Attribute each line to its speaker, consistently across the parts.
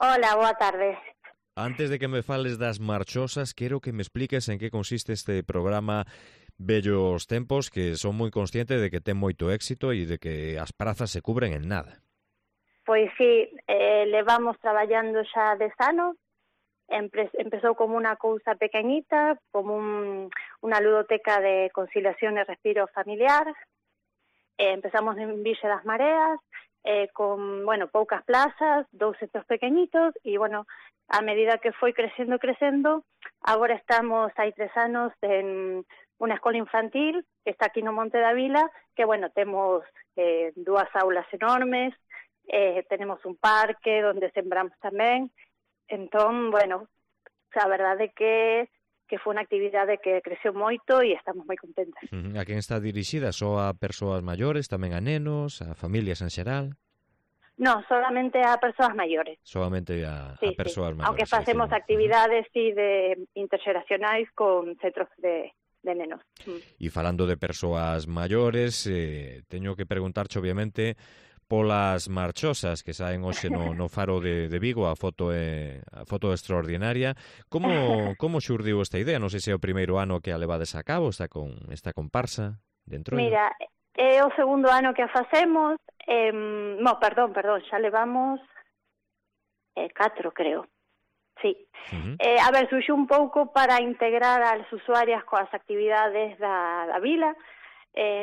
Speaker 1: Hola, boa tarde.
Speaker 2: Antes de que me fales das marchosas, quero que me expliques en que consiste este programa Bellos Tempos, que son moi consciente de que ten moito éxito e de que as prazas se cubren en nada.
Speaker 1: Pois sí, levamos traballando xa 10 anos. Empezou como unha cousa pequeñita, como unha ludoteca de conciliación e respiro familiar. Empezamos en Vixe das Mareas, con, poucas plazas, 2 centros pequeñitos, e, a medida que foi crecendo, agora estamos, hai 3 anos, en unha escola infantil, que está aquí no Monte da Vila, que, temos 2 aulas enormes, tenemos un parque donde sembramos tamén. Entón, a verdade que foi unha actividade que creceu moito e estamos moi contentas.
Speaker 2: A quen está dirixida? Só a persoas maiores, tamén a nenos, a familias en xeral?
Speaker 1: No, solamente a persoas maiores.
Speaker 2: Solamente a persoas maiores.
Speaker 1: Aunque facemos actividades de interxeracionais con centros de nenos.
Speaker 2: E falando de persoas maiores, teño que preguntarche, obviamente, polas marchosas que saen hoxe no Faro de Vigo, a foto é extraordinaria. Como xurdiu esta idea? Non sei se é o primeiro ano que a levades a cabo, esta comparsa dentro.
Speaker 1: Mira, é o segundo ano que a facemos. Perdón, xa levamos 4, creo. Sí. Surxiu un pouco para integrar as usuarias coas actividades da vila.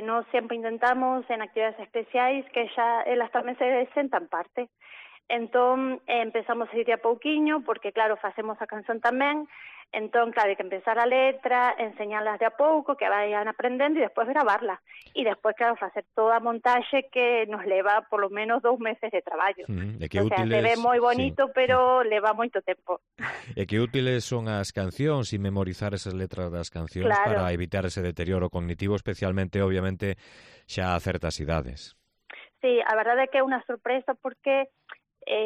Speaker 1: Nós sempre intentamos en actividades especiais que xa elas tamén se sentan parte. Entón, empezamos a ir a pouquiño, porque, claro, facemos a canción tamén. Entón, claro, hai que empezar a letra, enseñarlas de a pouco, que vayan aprendendo, e despois gravarla. E despois, claro, facer toda a montaxe que nos leva por lo menos 2 meses de traballo. Se ve moi bonito, pero leva moito tempo.
Speaker 2: E que útiles son as cancións e memorizar esas letras das cancións, claro, para evitar ese deterioro cognitivo, especialmente, obviamente, xa a certas idades.
Speaker 1: Sí, a verdade é que é unha sorpresa porque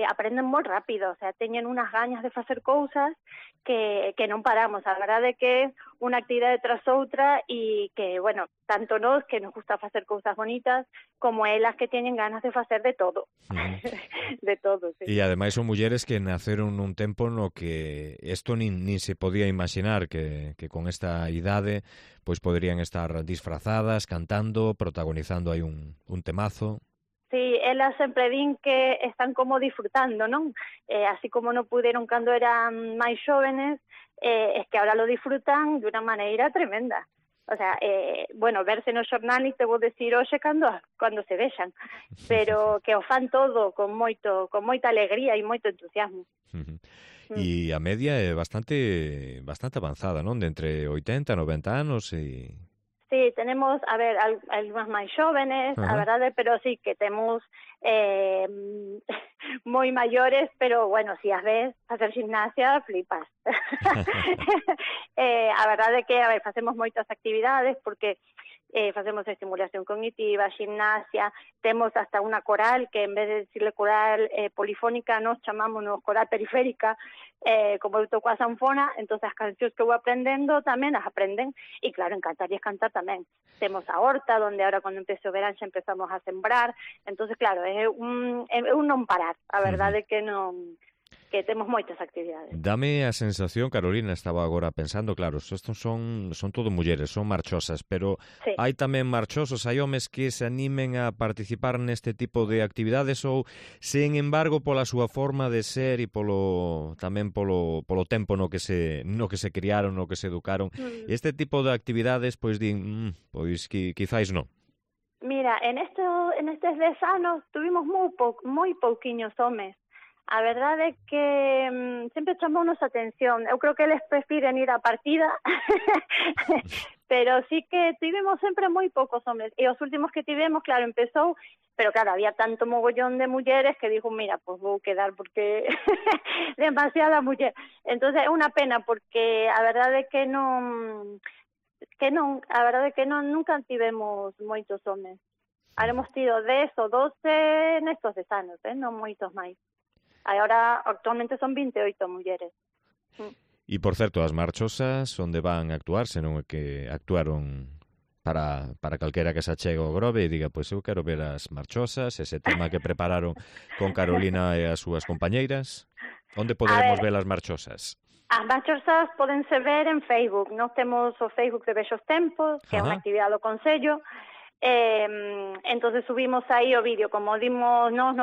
Speaker 1: aprenden moi rápido, teñen unhas gañas de facer cousas que non paramos. A verdade é que é unha actividade tras outra e que, tanto nós que nos gusta facer cousas bonitas, como elas que teñen ganas de facer de todo. De todo, sí.
Speaker 2: E ademais son mulleres que naceron nun tempo no que isto nin se podía imaginar que con esta idade pois poderían estar disfrazadas, cantando, protagonizando aí un temazo.
Speaker 1: Sí, elas sempre din que están como disfrutando, non? Así como non puderon cando eran máis xóvenes, es que ahora lo disfrutan de unha maneira tremenda. O sea, verse no xornal e te vou decir hoxe cando se vexan, pero que o fan todo con moita alegría e moito entusiasmo.
Speaker 2: E a media é bastante avanzada, non? De entre 80 e 90 anos e...
Speaker 1: Sí, tenemos, algunhas máis xóvenes, a verdade, pero sí que temos moi maiores, pero, si as ves facer gimnasia, flipas. A verdade é que, facemos moitas actividades, porque facemos estimulación cognitiva, gimnasia, temos hasta unha coral, que en vez de decirle coral polifónica, nos chamámonos coral periférica, como eu toco a sanfona, entón as cancións que vou aprendendo tamén as aprenden, e claro, encantarías cantar tamén. Temos a horta, donde ahora cando empece o verán xa empezamos a sembrar, entón claro, é un non parar, a verdade que non... que temos moitas actividades.
Speaker 2: Dame a sensación, Carolina, estaba agora pensando, claro, estos son todo mulleres, son marchosas, pero sí, hai tamén marchosos, hai homes que se animen a participar neste tipo de actividades ou, sen embargo, pola súa forma de ser e tamén polo tempo no que se criaron, no que se educaron, este tipo de actividades, pois din, pois quizáis non.
Speaker 1: Mira, en estes 10 anos tuvimos moi pouquiños homes. A verdade é que sempre chamounos a atención. Eu creo que eles prefiren ir á partida, pero sí que tivemos sempre moi poucos homes. E os últimos que tivemos, claro, empezou, pero claro, había tanto mogollón de mulleres que dijo, mira, pues vou quedar porque demasiada muller. Entonces é unha pena porque a verdade é que nunca tivemos moitos homes. Haremos tido 10 ou 12 nestos 10 anos, non moitos máis. Agora, actualmente son 28 mulleres.
Speaker 2: E, por certo, as marchosas onde van a actuar, senón que actuaron para calquera que se achegue ao Grove e diga, pois eu quero ver as marchosas, ese tema que prepararon con Carolina e as súas compañeiras. Onde poderemos ver as marchosas?
Speaker 1: As marchosas pódense ver en Facebook. Nós temos o Facebook de Bellos Tempos, que é unha actividade do Concello. Entonces subimos aí o vídeo. Como dimos, non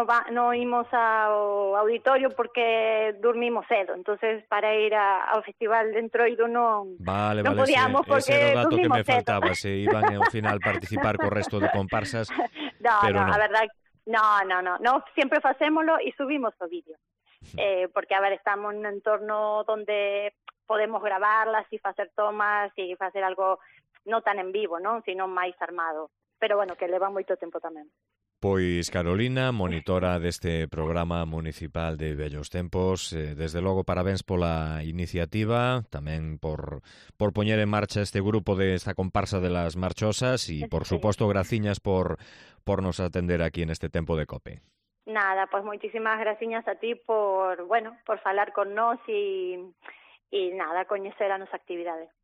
Speaker 1: imos ao auditorio porque dormimos cedo. Entonces para ir ao Festival de Entroido non podíamos porque
Speaker 2: ese era o dato que me
Speaker 1: cedo.
Speaker 2: faltaba. Se iban ao final participar co resto de comparsas, pero non.
Speaker 1: A verdade, no, siempre facémolo e subimos o vídeo. Porque, a ver, estamos nun entorno donde podemos gravarlas e facer tomas e facer algo non tan en vivo, non? Sino máis armado. Pero, bueno, que leva moito tempo tamén.
Speaker 2: Pois Carolina, monitora deste programa municipal de Bellos Tempos, desde logo parabéns pola iniciativa, tamén por poñer en marcha este grupo esta comparsa de las marchosas e, por suposto, graciñas por nos atender aquí en este tempo de COPE.
Speaker 1: Nada, pues moitísimas graciñas a ti por falar con nós e nada, coñecer a nosa actividade.